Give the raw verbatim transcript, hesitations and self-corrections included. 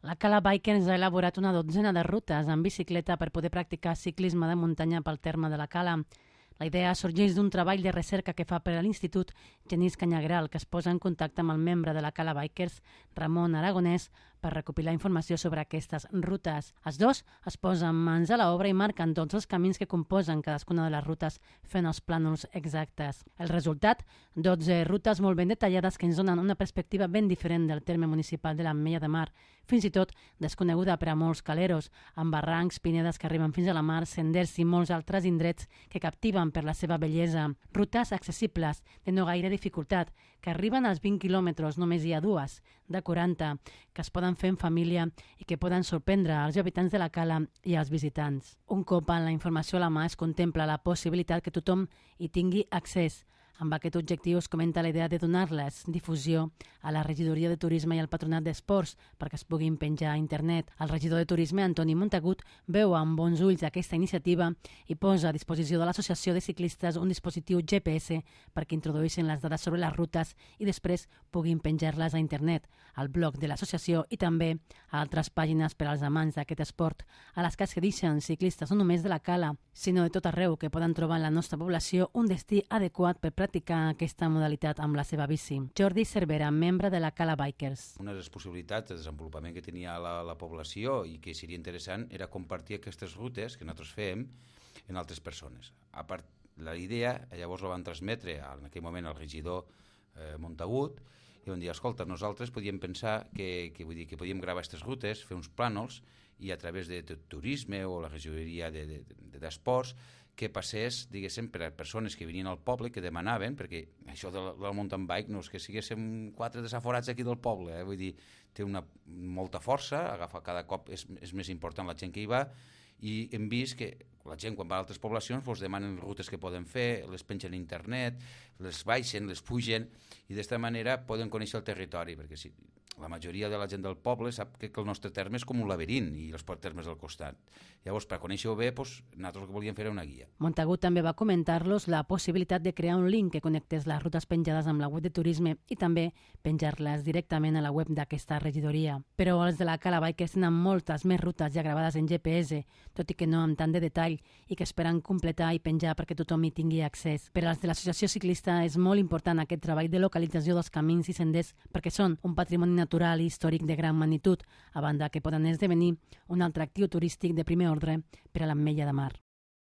La Cala Bikers ha elaborat una dotzena de rutes en bicicleta per poder practicar ciclisme de muntanya pel terme de la Cala. La idea sorgeix d'un treball de recerca que fa per a l'Institut Genís Canyagral, que es posa en contacte amb el membre de la Cala Bikers, Ramon Aragonès, per recopilar informació sobre aquestes rutes. Els dos es posen mans a l'obra i marquen tots els camins que composen cadascuna de les rutes fent els plànols exactes. El resultat? dotze rutes molt ben detallades que ens donen una perspectiva ben diferent del terme municipal de l'Ametlla de Mar, fins i tot desconeguda per a molts caleros, amb barrancs, pinedes que arriben fins a la mar, senders i molts altres indrets que captiven per la seva bellesa. Rutes accessibles, de no gaire dificultat, que arriben als vint quilòmetres, només hi ha dues, de quaranta, que es poden fer en família i que poden sorprendre als habitants de la Cala i als visitants. Un cop amb la informació a la mà es contempla la possibilitat que tothom hi tingui accés. Amb aquest objectiu es comenta la idea de donar-les difusió a la regidoria de Turisme i al Patronat d'Esports perquè es puguin penjar a internet. El regidor de Turisme, Antoni Montagut, veu amb bons ulls aquesta iniciativa i posa a disposició de l'Associació de Ciclistes un dispositiu G P S perquè introduïssin les dades sobre les rutes i després puguin penjar-les a internet, al blog de l'associació i també a altres pàgines per als amants d'aquest esport, a les que es deixen ciclistes no només de la Cala, sinó de tot arreu que poden trobar en la nostra població un destí adequat per practicar aquesta modalitat amb la seva bici. Jordi Cervera, membre de la Cala Bikers. Una de les possibilitats de desenvolupament que tenia la, la població i que seria interessant era compartir aquestes rutes que nosaltres fem en altres persones. A part, la idea, llavors la van transmetre en aquell moment al regidor eh, Montagut i van dir, escolta, nosaltres podíem pensar que, que, vull dir, que podíem gravar aquestes rutes, fer uns plànols i a través de, de turisme o la regidoria d'esports de, de, que passés, diguéssim, per a persones que venien al poble, que demanaven, perquè això del, del mountain bike no és que siguéssim quatre desaforats aquí del poble, eh? Vull dir, té una, molta força, agafa cada cop, és, és més important la gent que hi va, i hem vist que la gent quan va a altres poblacions doncs demanen rutes que poden fer, les pengen a internet, les baixen, les pugen, i d'esta manera poden conèixer el territori, perquè si la majoria de la gent del poble sap que el nostre terme és com un laberint i els termes al costat. Llavors, per conèixer-ho bé, doncs, nosaltres el que volíem fer era una guia. Montagut també va comentar-los la possibilitat de crear un link que connectés les rutes penjades amb la web de turisme i també penjar-les directament a la web d'aquesta regidoria. Però els de la Cala Bikers tenen moltes més rutes ja gravades en G P S, tot i que no amb tant de detall, i que esperen completar i penjar perquè tothom hi tingui accés. Per als de l'associació ciclista és molt important aquest treball de localització dels camins i senders perquè són un patrimoni natural i històric de gran magnitud, a banda que poden esdevenir un altre actiu turístic de primer ordre per a l'Ametlla de Mar.